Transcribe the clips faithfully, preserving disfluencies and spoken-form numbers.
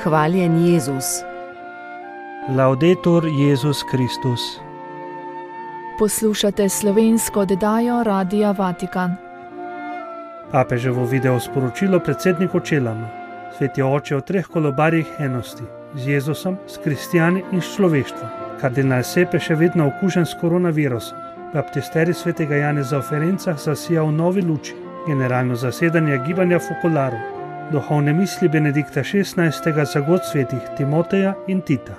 Hvaljen Jezus. Laudetur Jezus Kristus. Poslušate slovensko oddajo Radia Vatikan. Papeževo video sporočilo predsedniku Čelama. Sveti oče o treh kolobarjih enosti, z Jezusom, s kristijani in s človeštvom. Kardinal Sepe še vedno okužen s koronavirusom. Baptisterij svetega Janeza v Ferencah zasija v novi luči. Generalno zasedanje gibanja Focolare. Duhovne misli Benedikta šestnajstega za god svetih Timoteja in Tita.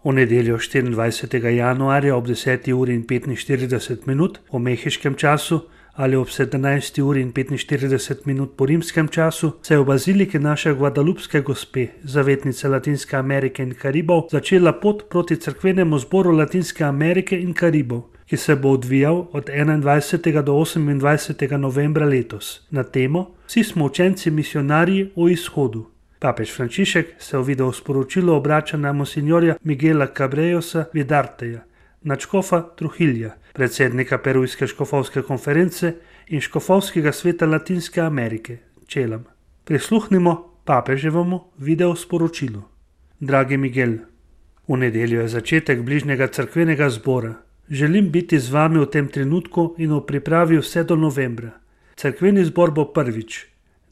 V nedeljo štiriindvajsetega januarja ob deseti uri in petinštirideset minut po mehiškem času ali ob sedemnajsti uri in petinštirideset minut po rimskem času se je v baziliki naše Guadalupske gospe, zavetnice Latinske Amerike in Karibov, začela pot proti cerkvenemu zboru Latinske Amerike in Karibov, ki se bo odvijal od enaindvajsetega do osemindvajsetega novembra letos na temo Vsi smo učenci misionarji o izhodu. Papež Frančišek se v video sporočilu obrača na monsinjorja Miguela Cabrejosa Vidarteja, nadškofa Trujilja, predsednika Perujske škofovske konference in škofovskega sveta Latinske Amerike, Čelam. Prisluhnimo papeževemu video sporočilu. Dragi Miguel, v nedeljo je začetek bližnjega cerkvenega zbora. Želim biti z vami v tem trenutku in v pripravi vse do novembra. Cerkveni zbor bo prvič.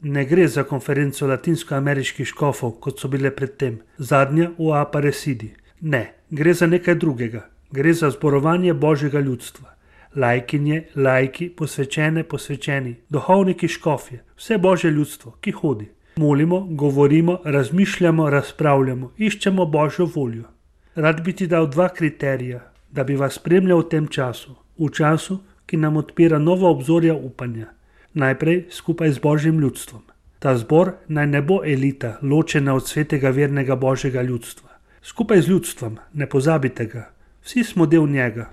Ne gre za konferenco latinskoameriških škofov, kot so bile predtem, zadnja v Aparecidi. Ne, gre za nekaj drugega. Gre za zborovanje Božjega ljudstva. Lajkinje, lajki, posvečene, posvečeni, duhovniki, škofje, vse Božje ljudstvo, ki hodi. Molimo, govorimo, razmišljamo, razpravljamo, iščemo Božjo voljo. Rad bi ti dal dva kriterija, da bi vas spremljal v tem času, v času, ki nam odpira nova obzorja upanja. Najprej skupaj z Božjim ljudstvom. Ta zbor naj ne bo elita, ločena od svetega vernega Božjega ljudstva. Skupaj z ljudstvom, ne pozabite ga, vsi smo del njega.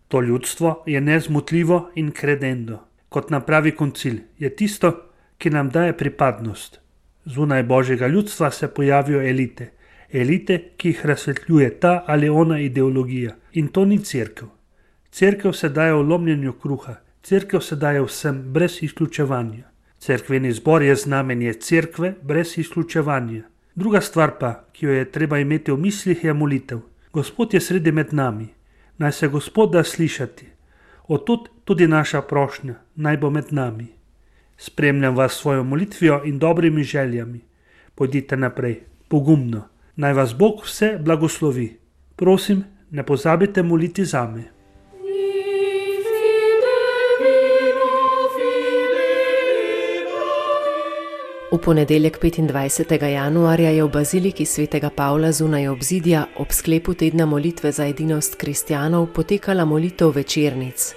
To ljudstvo je nezmotljivo in credendo. Kot nam pravi koncil, je tisto, ki nam daje pripadnost. Zunaj Božjega ljudstva se pojavijo elite. Elite, ki jih razsvetljuje ta ali ona ideologija. In to ni cerkev. Cerkev se daje v lomljenju kruha. Cerkev se daje vsem brez izključevanja. Cerkveni zbor je znamenje cerkve brez izključevanja. Druga stvar pa, ki jo je treba imeti v mislih, je molitev. Gospod je sredi med nami. Naj se Gospod da slišati. Otud tudi naša prošnja, naj bo med nami. Spremljam vas s svojo molitvijo in dobrimi željami. Pojdite naprej, pogumno. Naj vas Bog vse blagoslovi. Prosim, ne pozabite moliti zame. V ponedeljek petindvajsetega januarja je v baziliki svetega Pavla zunaj obzidja ob sklepu tedna molitve za edinost kristjanov potekala molitev večernic.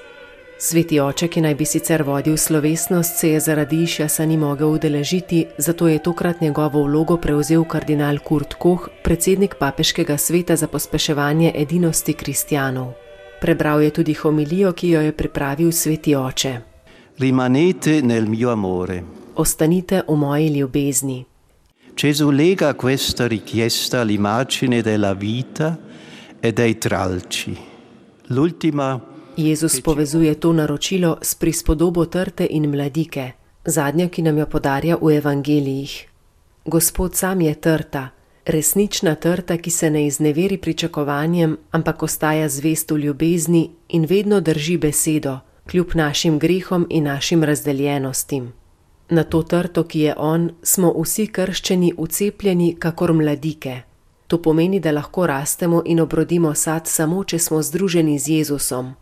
Sveti oče, ki naj bi sicer vodil slovesnost, se je zaradi išjasa ni mogel udeležiti, zato je tokrat njegovo vlogo prevzel kardinal Kurt Koch, predsednik papeškega sveta za pospeševanje edinosti kristjanov. Prebral je tudi homilijo, ki jo je pripravil sveti oče. Rimanete nel mio amore. Ostanite v moji ljubezni. Gesù lega questa richiesta all'immagine della vita e dei tralci. L'ultima Jezus povezuje to naročilo s prispodobo trte in mladike, zadnjo, ki nam jo podarja v evangelijih. Gospod sam je trta, resnična trta, ki se ne izneveri pričakovanjem, ampak ostaja zvest v ljubezni in vedno drži besedo, kljub našim grehom in našim razdeljenostim. Na to trto, ki je on, smo vsi krščeni vcepljeni kakor mladike. To pomeni, da lahko rastemo in obrodimo sad samo, če smo združeni z Jezusom.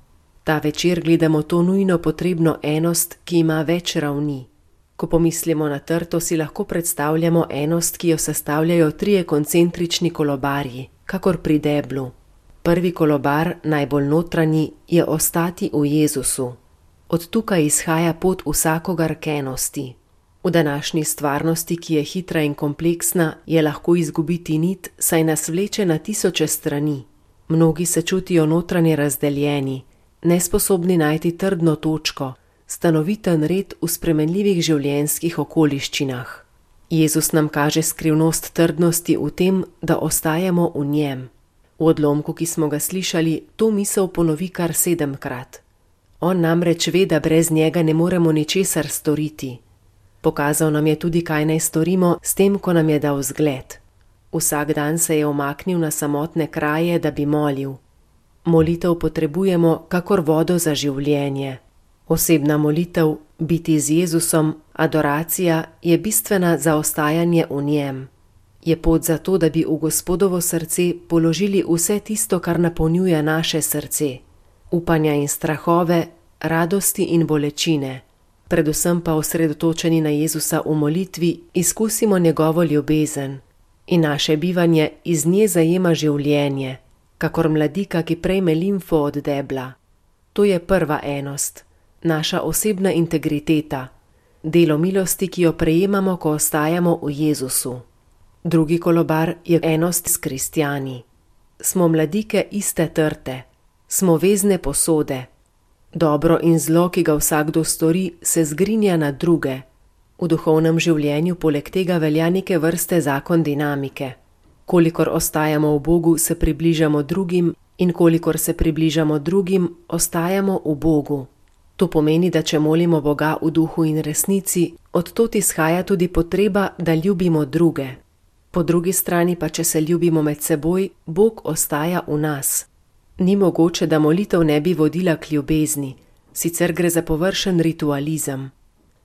Ta večer gledamo to nujno potrebno enost, ki ima več ravni. Ko pomislimo na trto, si lahko predstavljamo enost, ki jo sestavljajo trije koncentrični kolobarji, kakor pri deblu. Prvi kolobar, najbolj notranji, je ostati v Jezusu. Od tukaj izhaja pot vsakogar k enosti. V današnji stvarnosti, ki je hitra in kompleksna, je lahko izgubiti nit, saj nas vleče na tisoče strani. Mnogi se čutijo notranje razdeljeni, nesposobni najti trdno točko, stanoviten red v spremenljivih življenjskih okoliščinah. Jezus nam kaže skrivnost trdnosti v tem, da ostajamo v njem. V odlomku, ki smo ga slišali, to misel ponovi kar sedemkrat. On namreč ve, da brez njega ne moremo ničesar storiti. Pokazal nam je tudi, kaj naj storimo s tem, ko nam je dal zgled. Vsak dan se je omaknil na samotne kraje, da bi molil. Molitev potrebujemo kakor vodo za življenje. Osebna molitev, biti z Jezusom, adoracija je bistvena za ostajanje v njem. Je pot za to, da bi v Gospodovo srce položili vse tisto, kar napolnjuje naše srce. Upanja in strahove, radosti in bolečine. Predvsem pa osredotočeni na Jezusa v molitvi izkusimo njegovo ljubezen. In naše bivanje iz nje zajema življenje, kakor mladika, ki prejme limfo od debla. To je prva enost, naša osebna integriteta, delo milosti, ki jo prejemamo, ko ostajamo v Jezusu. Drugi kolobar je enost s kristjani. Smo mladike iste trte, smo vezne posode. Dobro in zlo, ki ga vsakdo stori, se zgrinja na druge. V duhovnem življenju poleg tega velja neke vrste zakon dinamike. Kolikor ostajamo v Bogu, se približamo drugim, in kolikor se približamo drugim, ostajamo v Bogu. To pomeni, da če molimo Boga v duhu in resnici, odtod izhaja tudi potreba, da ljubimo druge. Po drugi strani pa, če se ljubimo med seboj, Bog ostaja v nas. Ni mogoče, da molitev ne bi vodila k ljubezni, sicer gre za površen ritualizem.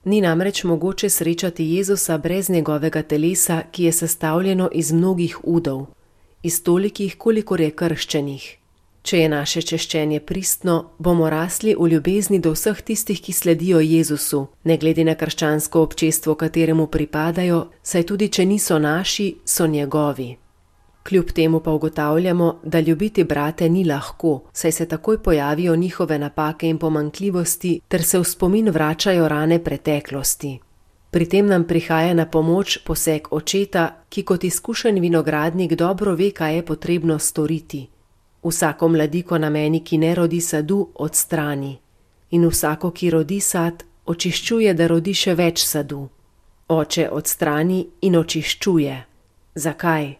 Ni namreč mogoče srečati Jezusa brez njegovega telesa, ki je sestavljeno iz mnogih udov, iz tolikih, kolikor je krščenih. Če je naše češčenje pristno, bomo rasli v ljubezni do vseh tistih, ki sledijo Jezusu, ne glede na krščansko občestvo, kateremu pripadajo, saj tudi če niso naši, so njegovi. Kljub temu pa ugotavljamo, da ljubiti brate ni lahko, saj se takoj pojavijo njihove napake in pomanjkljivosti, ter se v spomin vračajo rane preteklosti. Pri tem nam prihaja na pomoč poseg očeta, ki kot izkušen vinogradnik dobro ve, kaj je potrebno storiti. Vsako mladiko na meni, ki ne rodi sadu, odstrani. In vsako, ki rodi sad, očiščuje, da rodi še več sadu. Oče odstrani in očiščuje. Zakaj?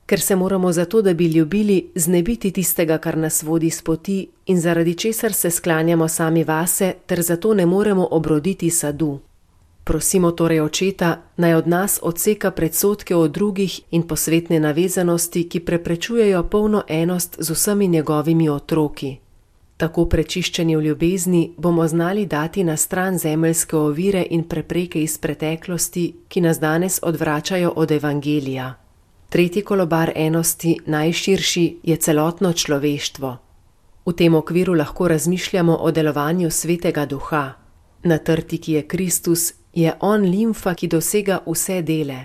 Ker se moramo zato, da bi ljubili, znebiti tistega, kar nas vodi s poti in zaradi česar se sklanjamo sami vase, ter zato ne moremo obroditi sadu. Prosimo torej očeta, naj od nas odseka predsodke o drugih in posvetne navezanosti, ki preprečujejo polno enost z vsemi njegovimi otroki. Tako prečiščeni v ljubezni bomo znali dati na stran zemeljske ovire in prepreke iz preteklosti, ki nas danes odvračajo od evangelija. Tretji kolobar enosti, najširši, je celotno človeštvo. V tem okviru lahko razmišljamo o delovanju Svetega Duha. Na trti, ki je Kristus, je on limfa, ki dosega vse dele.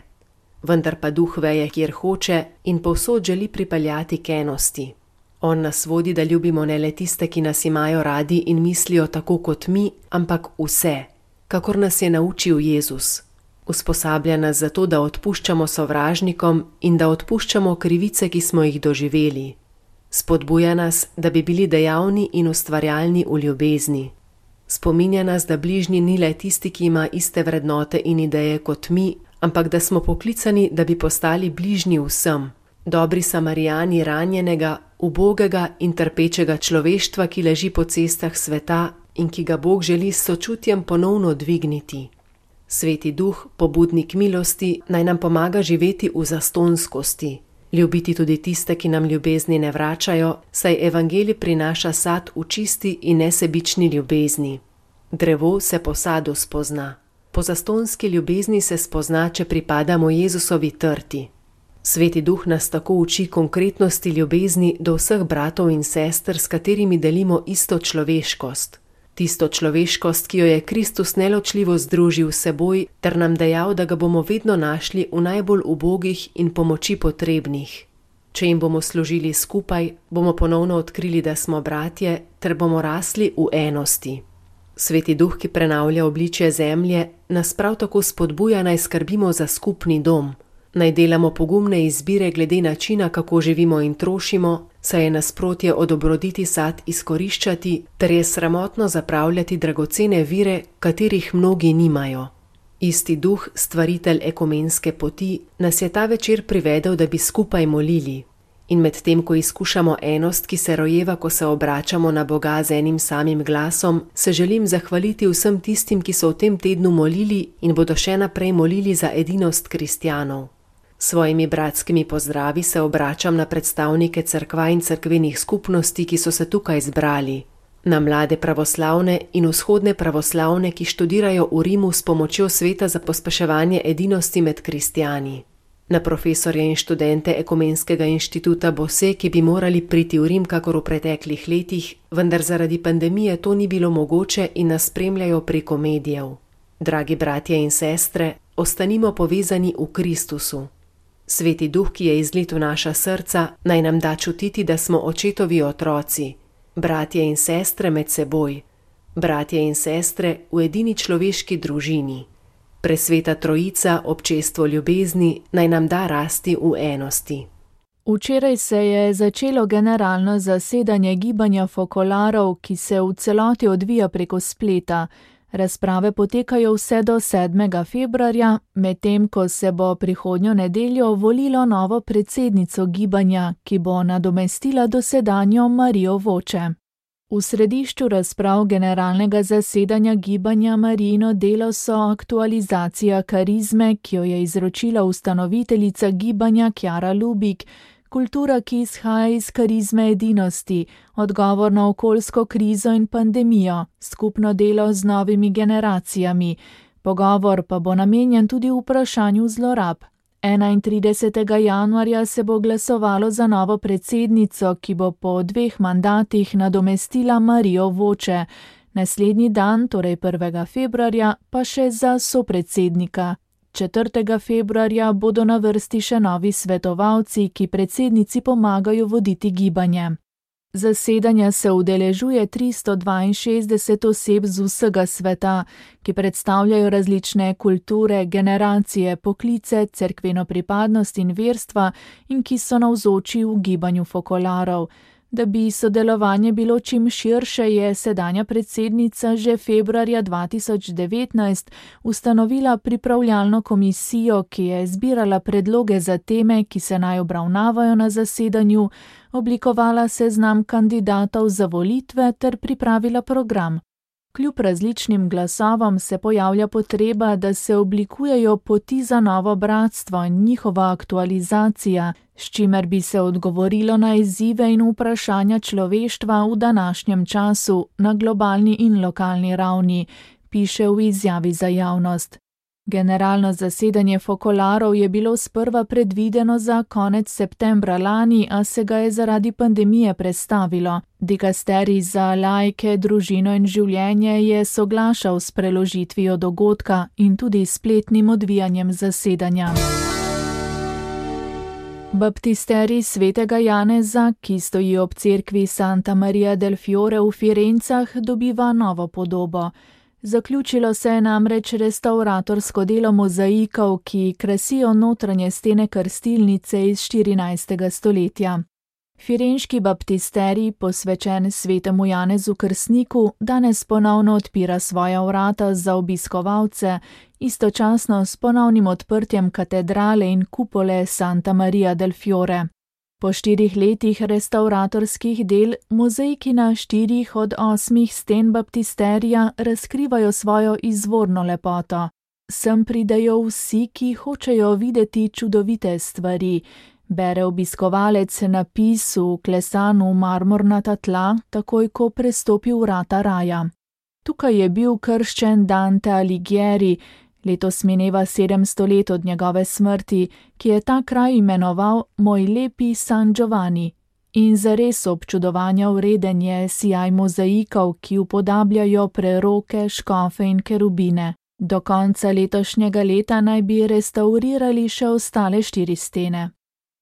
Vendar pa Duh veje, kjer hoče in povsod želi pripeljati k enosti. On nas vodi, da ljubimo ne le tiste, ki nas imajo radi in mislijo tako kot mi, ampak vse, kakor nas je naučil Jezus. Usposablja nas zato, da odpuščamo sovražnikom in da odpuščamo krivice, ki smo jih doživeli. Spodbuja nas, da bi bili dejavni in ustvarjalni v ljubezni. Spominja nas, da bližnji ni le tisti, ki ima iste vrednote in ideje kot mi, ampak da smo poklicani, da bi postali bližnji vsem. Dobri Samarijani ranjenega, ubogega in trpečega človeštva, ki leži po cestah sveta in ki ga Bog želi s sočutjem ponovno dvigniti. Sveti Duh, pobudnik milosti, naj nam pomaga živeti v zastonskosti, ljubiti tudi tiste, ki nam ljubezni ne vračajo, saj evangelij prinaša sad v čisti in nesebični ljubezni. Drevo se po sadu spozna. Po zastonski ljubezni se spozna, če pripadamo Jezusovi trti. Sveti Duh nas tako uči konkretnosti ljubezni do vseh bratov in sester, s katerimi delimo isto človeškost. Tisto človeškost, ki jo je Kristus neločljivo združil s seboj, ter nam dejal, da ga bomo vedno našli v najbolj ubogih in pomoči potrebnih. Če jim bomo služili skupaj, bomo ponovno odkrili, da smo bratje, ter bomo rasli v enosti. Sveti Duh, ki prenavlja obličje zemlje, nas prav tako spodbuja, naj skrbimo za skupni dom. Naj delamo pogumne izbire glede načina, kako živimo in trošimo, saj je nasprotje od obroditi sad izkoriščati, ter je sramotno zapravljati dragocene vire, katerih mnogi nimajo. Isti Duh, stvaritelj ekumenske poti, nas je ta večer privedel, da bi skupaj molili. In med tem, ko izkušamo enost, ki se rojeva, ko se obračamo na Boga z enim samim glasom, se želim zahvaliti vsem tistim, ki so v tem tednu molili in bodo še naprej molili za edinost kristjanov. Svojimi bratskimi pozdravi se obračam na predstavnike cerkva in cerkvenih skupnosti, ki so se tukaj zbrali, na mlade pravoslavne in vzhodne pravoslavne, ki študirajo v Rimu s pomočjo sveta za pospeševanje edinosti med kristjani, na profesorje in študente Ekumenskega inštituta Bosé, ki bi morali priti v Rim kakor v preteklih letih, vendar zaradi pandemije to ni bilo mogoče in nas spremljajo preko medijev. Dragi bratje in sestre, ostanimo povezani v Kristusu. Sveti Duh, ki je izlit v naša srca, naj nam da čutiti, da smo očetovi otroci, bratje in sestre med seboj, bratje in sestre v edini človeški družini. Presveta Trojica, občestvo ljubezni, naj nam da rasti v enosti. Včeraj se je začelo generalno zasedanje gibanja fokolarov, ki se v celoti odvija preko spleta. Razprave potekajo vse do sedmega februarja, medtem ko se bo prihodnjo nedeljo volilo novo predsednico gibanja, ki bo nadomestila dosedanjo Marijo Voče. V središču razprav generalnega zasedanja gibanja Marijino delo so aktualizacija karizme, ki jo je izročila ustanoviteljica gibanja Kjara Lubik, kultura, ki izhaja iz karizme edinosti, odgovor na okoljsko krizo in pandemijo, skupno delo z novimi generacijami. Pogovor pa bo namenjen tudi vprašanju zlorab. enaintridesetega januarja se bo glasovalo za novo predsednico, ki bo po dveh mandatih nadomestila Marijo Voče. Naslednji dan, torej prvega februarja, pa še za sopredsednika. četrtega februarja bodo na vrsti še novi svetovalci, ki predsednici pomagajo voditi gibanje. Zasedanja se udeležuje tristo dvainšestdeset oseb z vsega sveta, ki predstavljajo različne kulture, generacije, poklice, cerkveno pripadnost in verstva in ki so navzoči v gibanju fokolarov. Da bi sodelovanje bilo čim širše, je sedanja predsednica že februarja dva tisoč devetnajst ustanovila pripravljalno komisijo, ki je zbirala predloge za teme, ki se naj obravnavajo na zasedanju, oblikovala seznam kandidatov za volitve ter pripravila program. Kljub različnim glasovom se pojavlja potreba, da se oblikujejo poti za novo bratstvo in njihova aktualizacija, s čimer bi se odgovorilo na izzive in vprašanja človeštva v današnjem času na globalni in lokalni ravni, piše v izjavi za javnost. Generalno zasedanje fokolarov je bilo sprva predvideno za konec septembra lani, a se ga je zaradi pandemije prestavilo. Dikasterij za laike, družino in življenje je soglašal s preložitvijo dogodka in tudi spletnim odvijanjem zasedanja. Baptisterij svetega Janeza, ki stoji ob cerkvi Santa Maria del Fiore v Firencah, dobiva novo podobo. Zaključilo se je namreč restavratorsko delo mozaikov, ki krasijo notranje stene krstilnice iz štirinajstega stoletja. Firenški baptisterij, posvečen svetemu Janezu Krstniku, danes ponovno odpira svoja vrata za obiskovalce, istočasno s ponovnim odprtjem katedrale in kupole Santa Maria del Fiore. Po štirih letih restavratorskih del mozaiki na štirih od osmih sten baptisterija razkrivajo svojo izvorno lepoto. Sem pridejo vsi, ki hočejo videti čudovite stvari. Bere obiskovalec napis vklesan v marmornata tla, takoj ko prestopi vrata raja. Tukaj je bil krščen Dante Alighieri, letos mineva sedemsto let od njegove smrti, ki je ta kraj imenoval Moj lepi San Giovanni. In zares občudovanja vreden je sijaj mozaikov, ki upodabljajo preroke, škofe in kerubine. Do konca letošnjega leta naj bi restavrirali še ostale štiri stene.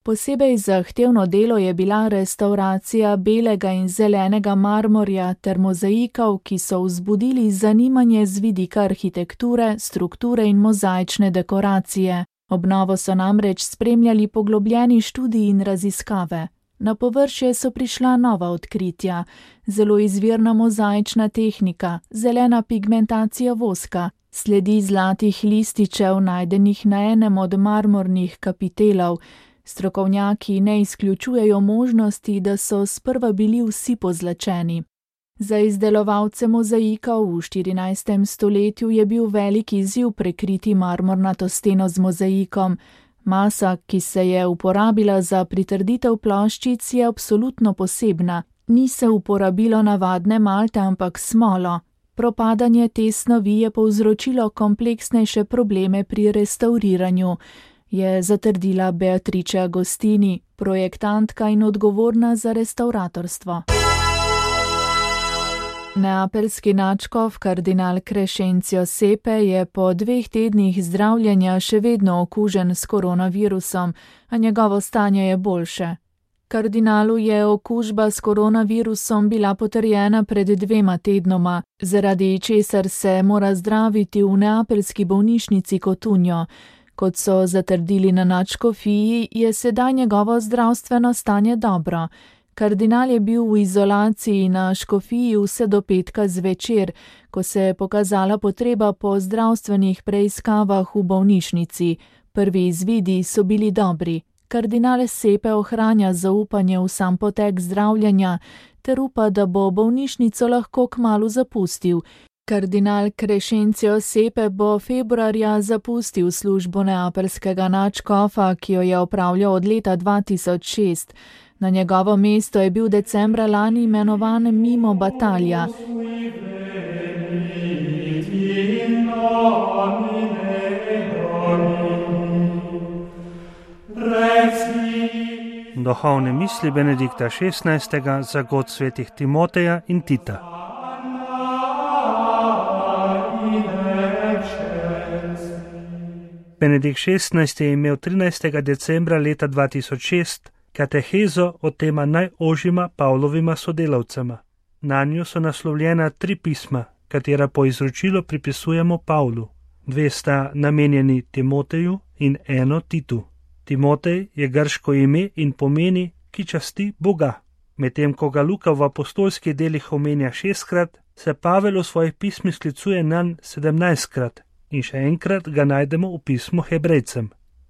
Posebej zahtevno delo je bila restavracija belega in zelenega marmorja ter mozaikov, ki so vzbudili zanimanje z vidika arhitekture, strukture in mozaične dekoracije. Obnovo so namreč spremljali poglobljeni študiji in raziskave. Na površje so prišla nova odkritja, zelo izvirna mozaična tehnika, zelena pigmentacija voska, sledi zlatih lističev najdenih na enem od marmornih kapitelov. Strokovnjaki ne izključujejo možnosti, da so sprva bili vsi pozlačeni. Za izdelovalce mozaikov v štirinajstem stoletju je bil velik izziv prekriti marmornato steno z mozaikom. Masa, ki se je uporabila za pritrditev ploščic, je absolutno posebna. Ni se uporabilo navadne malte, ampak smolo. Propadanje te snovi je povzročilo kompleksnejše probleme pri restavriranju, je zatrdila Beatrice Agostini, projektantka in odgovorna za restavratorstvo. Neapeljski nadškof kardinal Crescencio Sepe je po dveh tednih zdravljenja še vedno okužen s koronavirusom, a njegovo stanje je boljše. Kardinalu je okužba s koronavirusom bila potrjena pred dvema tednoma, zaradi česar se mora zdraviti v neapeljski bolnišnici Cotugno. Kot so zatrdili na nadškofiji, je sedaj njegovo zdravstveno stanje dobro. Kardinal je bil v izolaciji na škofiji vse do petka zvečer, ko se je pokazala potreba po zdravstvenih preiskavah v bolnišnici. Prvi izvidi so bili dobri. Kardinal Sepe ohranja zaupanje v sam potek zdravljenja ter upa, da bo bolnišnico lahko kmalu zapustil. Kardinal Crescencio Sepe bo februarja zapustil službo neapeljskega nadškofa, ki jo je opravljal od leta dva tisoč šest. Na njegovo mesto je bil decembra lani imenovan Mimo Batalja. Duhovne misli Benedikta šestnajstega za god svetih Timoteja in Tita. Benedikt šestnajsti je imel trinajstega decembra leta dva tisoč šest katehezo o tema najožjima Pavlovima sodelavcema. Nanjo so naslovljena tri pisma, katera po izročilu pripisujemo Pavlu. Dve sta namenjeni Timoteju in eno Titu. Timotej je grško ime in pomeni, ki časti Boga. Medtem ko ga Luka v apostolskih delih omenja šestkrat, se Pavel v svojih pismih sklicuje nanj sedemnajstkrat in še enkrat ga najdemo v pismu Hebrejcem.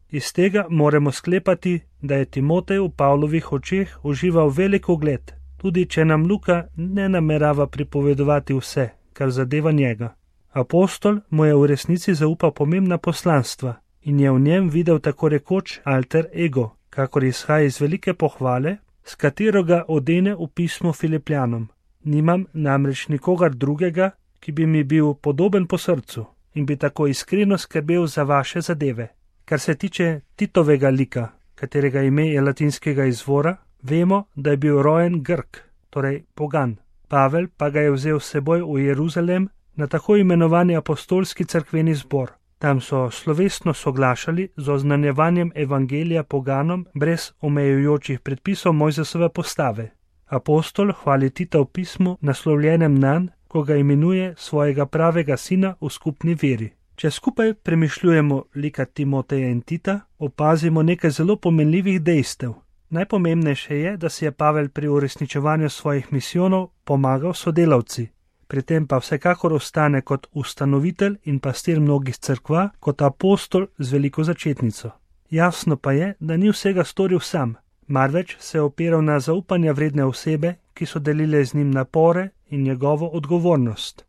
Iz tega moramo sklepati, da je Timotej v Pavlovih očeh užival velik ugled, tudi če nam Luka ne namerava pripovedovati vse, kar zadeva njega. Apostol mu je v resnici zaupal pomembna poslanstva in je v njem videl tako rekoč alter ego, kakor izhaja iz velike pohvale, s katero ga odene v pismu Filipljanom. Nimam namreč nikogar drugega, ki bi mi bil podoben po srcu in bi tako iskreno skrbel za vaše zadeve. Kar se tiče Titovega lika, katerega ime je latinskega izvora, vemo, da je bil rojen Grk, torej pogan. Pavel pa ga je vzel s seboj v Jeruzalem na tako imenovani apostolski cerkveni zbor. Tam so slovesno soglašali z oznanjevanjem evangelija poganom brez omejujočih predpisov Mojzesove postave. Apostol hvali Tita v pismu, naslovljenem nanj, ko ga imenuje svojega pravega sina v skupni veri. Če skupaj premišljujemo lika Timoteja in Tita, opazimo nekaj zelo pomenljivih dejstev. Najpomembnejše je, da si je Pavel pri uresničevanju svojih misijonov pomagal sodelavci. Pri tem pa vsekakor ostane kot ustanovitelj in pastir mnogih cerkva, kot apostol z veliko začetnico. Jasno pa je, da ni vsega storil sam, marveč se je opiral na zaupanja vredne osebe, ki so delile z njim napore in njegovo odgovornost.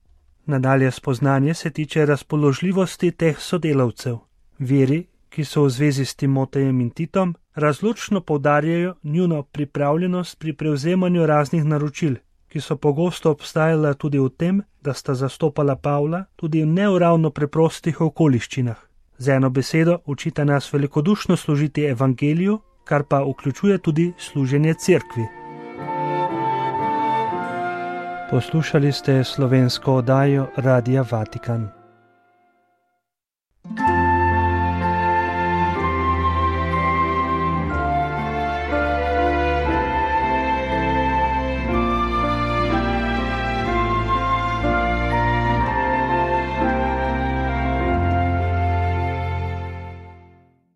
Nadalje spoznanje se tiče razpoložljivosti teh sodelavcev. Viri, ki so v zvezi s Timotejem in Titom, razločno poudarjajo njuno pripravljenost pri prevzemanju raznih naročil, ki so pogosto obstajala tudi v tem, da sta zastopala Pavla tudi v neuravno preprostih okoliščinah. Z eno besedo učita nas velikodušno služiti evangeliju, kar pa vključuje tudi služenje cerkvi. Poslušali ste slovensko oddajo Radia Vatikan.